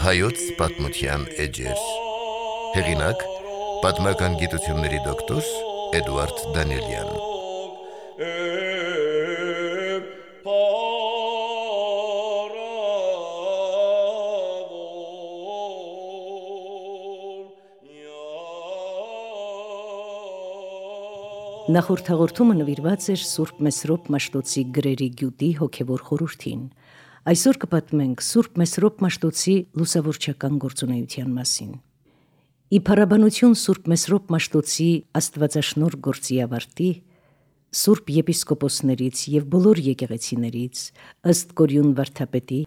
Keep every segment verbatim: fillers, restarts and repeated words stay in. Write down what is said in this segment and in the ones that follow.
Հայոց պատմության էջեր։ Հեղինակ՝ պատմական գիտությունների դոկտոր Էդուարդ Դանիելյան։ Նախորդ հաղորդումը նվիրված էր Սուրբ Մեսրոպ Մաշտոցի գրերի գյուտի հոգևոր խորհրդին։ Այսօր կպատմենք Սուրբ Մեսրոպ Մաշտոցի լուսավորչական գործունեության մասին։ Ի փառաբանություն Սուրբ Մեսրոպ Մաշտոցի աստվածաշնորհ գործի ավարտի, Սուրբ եպիսկոպոսներից եւ բոլոր եկեղեցիներից ըստ Կորյուն վարդապետի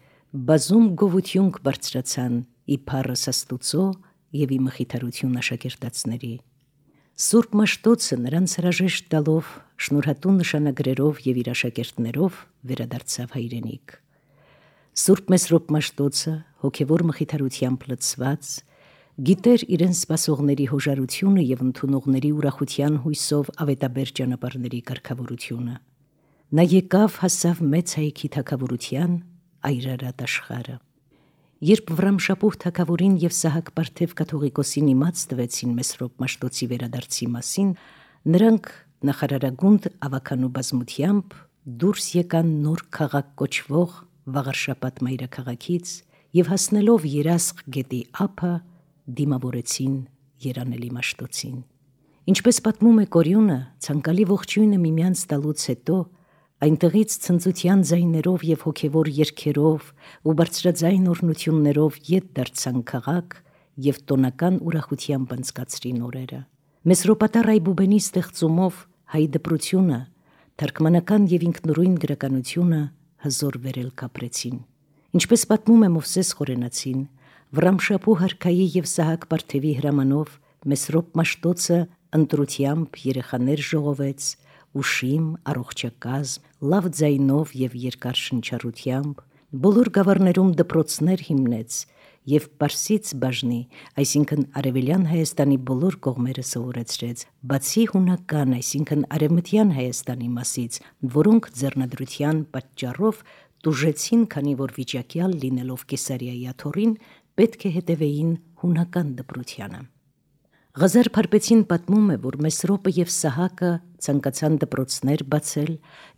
բազում գովություն կբարձրացան ի փառս Աստուծո եւ ի մխիթարություն աշակերտածների։ Սուրբ Մաշտոցը նրանց հրաժեշտ տալով, շնորհատու նշանագրերով եւ իր աշակերտներով վերադարձավ հայրենիք։ Սուրբ Մեսրոպ Մաշտոցը հոգևոր մխիթարությամբ լցված, գիտեր իրեն սպասողների հոժարությունը եւ ընդունողների ուրախության հույսով ավետաբեր ճանապարհների կարգավորությունը։ Նա եկավ հասավ մեծ հայքի թագավորության այրարատ աշխարհը։ Երբ Վռամշապուհ թագավորին եւ Սահակ Պարթև կաթողիկոսին իմաց տվեցին Մեսրոպ Մաշտոցի վերադարձի մասին, նրանք նախարարագունդ ավականու բազմությամբ դուրս եկան նոր քաղաք կոչվող Վաղարշապատ մայրաքաղաքից եւ հասնելով Երասխ գետի ափը դիմավորեցին երանելի Մաշտոցին։ Ինչպես պատմում է Կորյունը, ցանկալի ողջույնը միմյանց տալուց հետո այնտեղից ցնծության ձայներով եւ հոգևոր երգերով ու բարձրաձայն օրհնություններով ետ դարձան քաղաք եւ տոնական ուրախությամբ անցկացրին օրերը։ Մեսրոպատար Այբուբենի ստեղծումով հայ դպրությունը, թարգմանական եւ ինքնուրույն գրականությունը հզոր վերել կապրեցին։ Ինչպես պատմում է Մովսես Խորենացին, Վռամշապուհ արքայի եւ Սահակ Պարթևի հրամանով Մեսրոպ Մաշտոցը ընտրությամբ երեխաներ ժողովեց, ուշիմ, առողջակազմ, լավ ձայնով եւ երկար շնչառությամբ, բոլոր գավառներում դպրոցներ հիմնեց եւ Պարսից բաժնի, այսինքն Արևելյան Հայաստանի բոլոր կողմերը սովորեցրեց, բացի հունական, այսինքն Արևմտյան Հայաստանի մասից, որոնք ձեռնադրության պատճառով տուժեցին, քանի որ վիճակյալ լինելով Կեսարիայի աթոռին, պետք է հետևեին հունական դպրությանը։ Ղազար Փարպեցին պատմում է, որ Մեսրոպը եւ Սահակը ցանկացան դպրոցներ բացել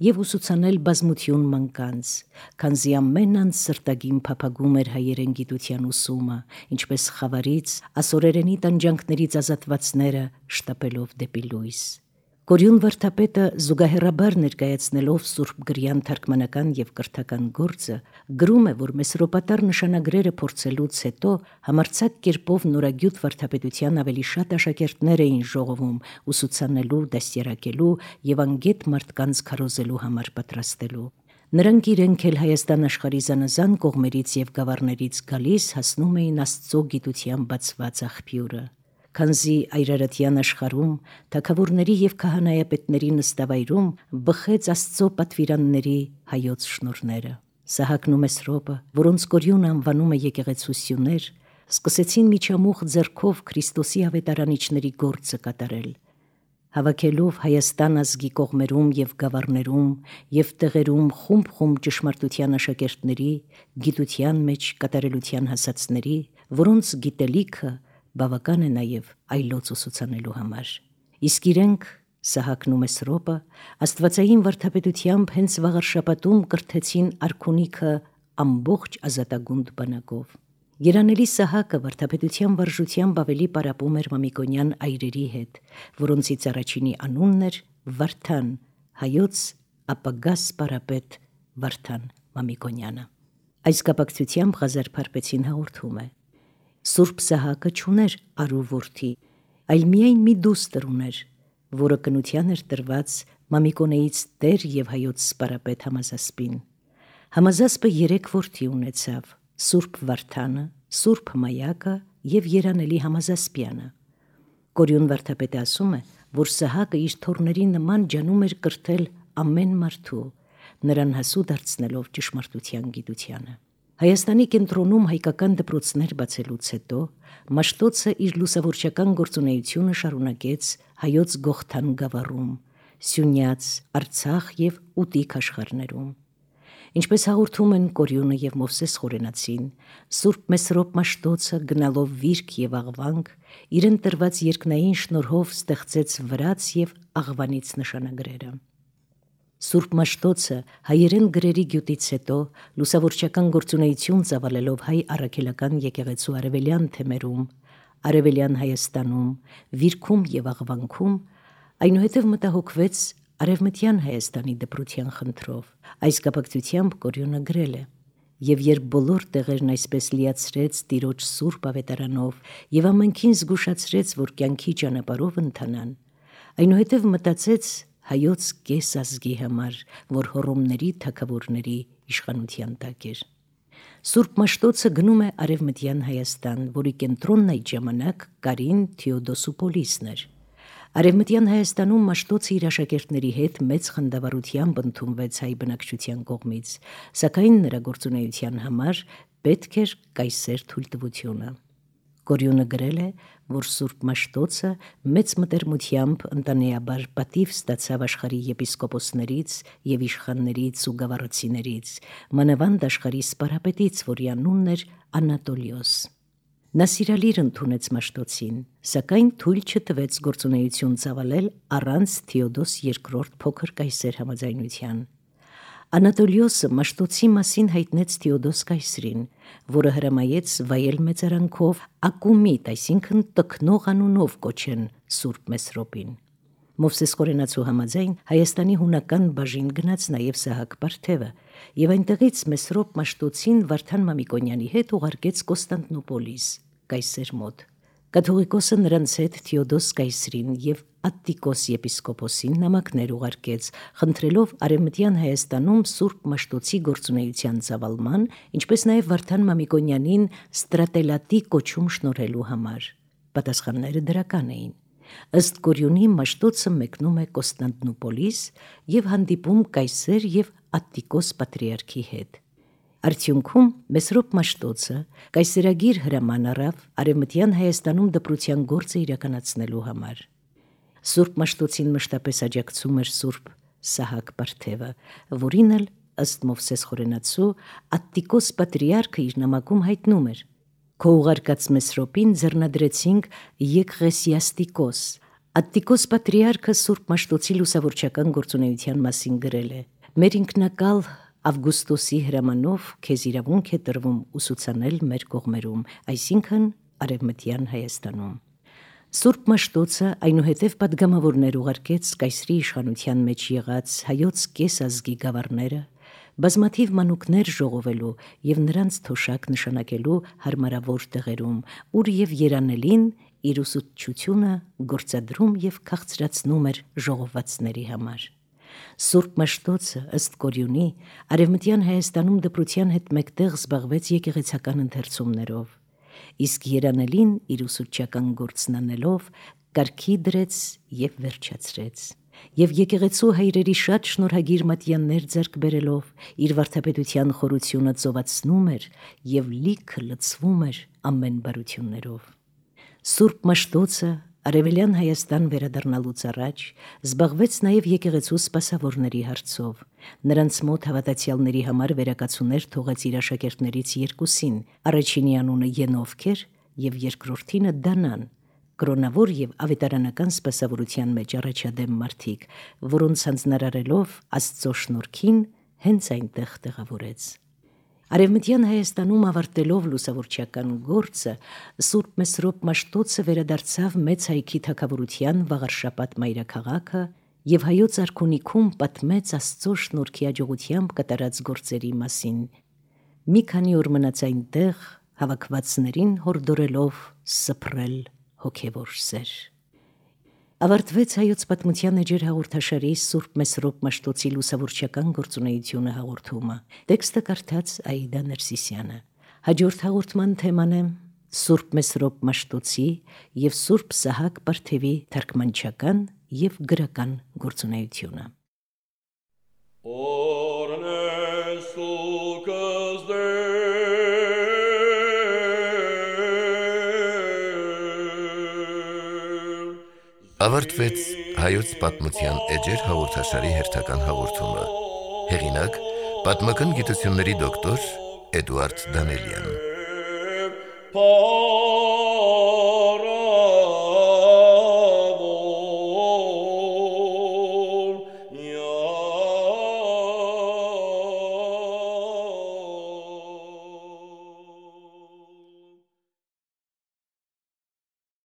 եւ ուսուցանել բազմություն մանկանց, քանզի ամեն անց սրտագին փափագում էր հայերեն գիտության ուսումը, ինչպես խավարից, ասորերենի տանջանքներից ազատվածները շտապելով դեպի լույս։ Կորյուն վարդապետը զուգահեռաբար ներկայացնելով Սուրբ Գրյան թարգմանական եւ կրթական գործը գրում է, որ Մեսրոպատար նշանագրերը փորձելուց հետո համարձակ կերպով նորագյուտ վարդապետության ավելի շատ աշակերտներ էին ժողովում ուսուցանելու, դաստիարակելու եւ անգետ մարդկանց քարոզելու համար պատրաստելու։ Նրանք իրենք էլ Հայաստան աշխարհի զանազան կողմերից եւ գավառներից գալիս հասնում էին Աստծո գիտության բացված աղբյուրը։ Քանզի այրարատյան աշխարհում թագավորների եւ քահանայապետների նստավայրում բխեց Աստծո պատվիրանների հայոց շնորհները։ Սահակն ու Մեսրոպը, որոնց Կորյունը անվանում է եկեղեցուսյուներ, սկսեցին միջամուխ ձեռքով Քրիստոսի ավետարանիչների գործը կատարել, հավաքելով Հայաստան ազգի կողմերում եւ գավառներում եւ տեղերում խումբ-խումբ ճշմարտության աշակերտների, գիտության մեջ կատարելության հասածների, որոնց գիտելիքը բավական է նաև այլոց ուսուցանելու համար։ Իսկ իրենք, Սահակն ու Մեսրոպը, աստվածային վարդապետությամբ հենց Վաղարշապատում կրթեցին արքունիքը ամբողջ ազատագունդ բանակով։ Երանելի Սահակը վարդապետության վարժությամբ ավելի պարապում էր Մամիկոնյան այրերի հետ, որոնցից առաջինի անունն էր Վարդան, հայոց ապագա սպարապետ Վարդան Մամիկոնյանը։ Այս կապակցությամբ Ղազար Փարպեցին հաղորդում է. Սուրբ Սահակը չուներ արու որդի, այլ միայն մի դուստր ուներ, որը կնության էր տրված Մամիկոնեից տեր եւ հայոց սպարապետ Համազասպին։ Համազասպը երեք որդի ունեցավ՝ Սուրբ Վարդանը, Սուրբ Մայակը եւ Երանելի Համազասպյանը։ Կորյուն վարդապետը ասում է, որ Սահակը իր թոռների նման ջանում էր կրթել ամեն մարդու, նրան հասու դարձնելով ճշմարտության գիտությանը։ Հայաստանի կենտրոնում հայկական դպրոցներ բացելուց հետո Մաշտոցը իր լուսավորչական գործունեությունը շարունակեց հայոց Գողթան գավառում, Սյունյաց, Արցախ եւ Ուտիկ աշխարհներում։ Ինչպես հաղորդում են Կորյունը և Մովսես Խորենացին, Սուրբ Մեսրոպ Մաշտոցը գնալով վիրք և աղվանք, իրեն տրված երկնային շնորհով ստեղծեց վրաց և աղվանից նշանագրերը։ Սուրբ Մաշտոցը հայերեն գրերի գյուտից հետո լուսավորչական գործունեություն ծավալելով հայ առաքելական եկեղեցու արևելյան թեմերում, արևելյան Հայաստանում, վիրքում և աղվանքում, այնուհետև մտահոգվեց Արևմտյան Հայաստանի դպրության խնդրով։ Այս կապակցությամբ Կորյունը գրել է. «Եվ երբ բոլոր տեղերն այսպես լիացրեց Տիրոջ սուրբ ավետարանով և ամենքին զգուշացրեց, որ կյանքի ճանապարհով ընթանան, այնուհետև մտածեց հայոց կես ազգի համար, որ հոռոմների թագավորների իշխանության տակ էր»։ Սուրբ Մաշտոցը գնում է Արևմտյան Հայաստան, որի կենտրոնն այդ ժամանակ Կարին Թեոդոսուպոլիսն էր։ Արևմտյան Հայաստանում Մաշտոցը իր աշակերտների հետ մեծ խնդավառությամբ ընդունվեց հայ բնակչության կողմից, սակայն նրա գործունեության համար պետք էր կայսեր թույլտվությունը։ Կորյունը գրել է, որ Սուրբ Մաշտոցը մեծ մտերմությամբ ընտանեաբար պատիվ ստացավ աշխարհի եպիսկոպոսներից և իշխաններից ու գավառացիներից, մանավանդ աշխարհի սպարապետից, որի անունն էր Անատոլիոս։ Նա սիրալիր ընդունեց Մաշտոցին, սակայն թույլ չտվեց գործունեություն ծավալել առանց Թեոդոս երկրորդ փոքր կայսեր համաձայնության։ Անատոլիոսը Մաշտոցի մասին հայտնեց Թեոդոս կայսրին, որը հրամայեց վայել մեծարանքով Ակումիտ, այսինքն տքնող անունով կոչեն Սուրբ Մեսրոպին։ Մովսես Խորենացու համաձայն Հայաստանի հունական բաժին գնաց նաև Սահակ Պարթևը և այնտեղից Մեսրոպ Մաշտոցին Վարդան Մամիկոնյանի հետ ուղարկեց Կոստանդնուպոլիս, կայսեր մոտ։ Կաթողիկոսը նրանց հետ Թեոդոս կայսրին և Ատտիկոս եպիսկոպոսին նամակներ ուղարկեց, խնդրելով Արևմտյան Հայաստանում Սուրբ Մաշտոցի գործունեության ծավալման, ինչպես նաև Վարդան Մամիկոնյանին ստրատելատի կոչում շնորհելու համար։ Պատասխանները դրական էին։ Ըստ Կորյունի Մաշտոցը մեկնում է Կոստանդնուպոլիս և հանդիպում կայսեր և Ատտիկոս պատրիարքի հետ։ Արդյունքում Մեսրոպ Մաշտոցը կայսերագիր հրաման առավ Արևմտյան Հայաստանում դպրության գործը իրականացնելու համար։ Սուրբ Մաշտոցին մշտապես աջակցում էր Սուրբ Սահակ Պարթևը, որին էլ ըստ Մովսես Խորենացու Ատտիկոս պատրիարքը իր նամակում հայտնում էր. «Քո ուղարկած Մեսրոպին ձեռնադրեցինք Եկղեսիաստիկոս»։ Ատտիկոս պատրիարքը Սուրբ Մաշտոցի լուսավորչական գործունեության մասին գրել է. «Մեր ինքնակալ Ավգուստոսի հրամանով քեզ իրավունք է տրվում ուսուցանել մեր կողմերում, այսինքն Արևմտյան Հայաստանում»։ Սուրբ Մաշտոցը այնուհետև պատգամավորներ ուղարկեց կայսրի իշխանության մեջ եղած հայոց կես ազգի գավառները, բազմաթիվ մանուկներ ժողովելու և նրանց թոշակ նշանակելու հարմարավոր տեղերում, ուր և երանելին իր ուսուցչությունը գործադրում և քաղցրացնում էր ժողովածների համար։ Սուրբ Մաշտոցը ըստ Կորյունի Արևմտյան Հայաստանում դպրության հետ մեկտեղ զբաղվեց եկեղեցական ընթերցումներով, իսկ երանելին իր ուսուցչական գործն անելով կարգի դրեց և վերջացրեց, և եկեղեցու հայրերի շատ շնորհագիր մատյաններ ձեռք բերելով իր վարդապետության խորությունը ծովացնում էր և լիքը լցվում էր ամեն բարություններով։ Սուրբ Մաշտոցը Արևելյան Հայաստան վերադառնալուց առաջ զբաղվեց նաև եկեղեցու սպասավորների հարցով։ Նրանց մոտ հավատացյալների համար վերակացուներ թողեց իր աշակերտներից երկուսին, առաջինի անունը Ենովք էր և երկրորդինը Դանան, կրոնավոր և ավետարանական սպասավորության մեջ առաջադեմ մարդիկ, որոնց հանձնարարելով Աստծո շնորհքին հենց այնտեղ տեղավորեց։ Արևմտյան Հայաստանում ավարտելով լուսավորչական գործը Սուրբ Մեսրոպ Մաշտոցը վերադարձավ Մեծ Հայքի թագավորության Վաղարշապատ մայրաքաղաքը և հայոց արքունիքում պատմեց Աստծո շնորհքի աջողությամբ կատարած գործերի մասին։ Մի քանի օր մնաց այնտեղ, հավաքվածներին հորդորելով սփռել հոգևոր սեր։ Ավարտվեց Հայոց պատմության էջեր հաղորդաշարի Սուրբ Մեսրոպ Մաշտոցի լուսավորչական գործունեությունը հաղորդումը։ Տեքստը կարդաց Աիդա Ներսիսյանը։ Հաջորդ հաղորդման թեման է Սուրբ Մեսրոպ Մաշտոցի և Սուրբ Սահակ Պարթևի թարգմանչական և գրական գործունեությունը։ Ավարտվեց Հայոց պատմության էջեր հաղորդաշարի հերթական հաղորդումը։ Հեղինակ՝ Պատմական գիտությունների դոկտոր Էդուարդ Դանելյան։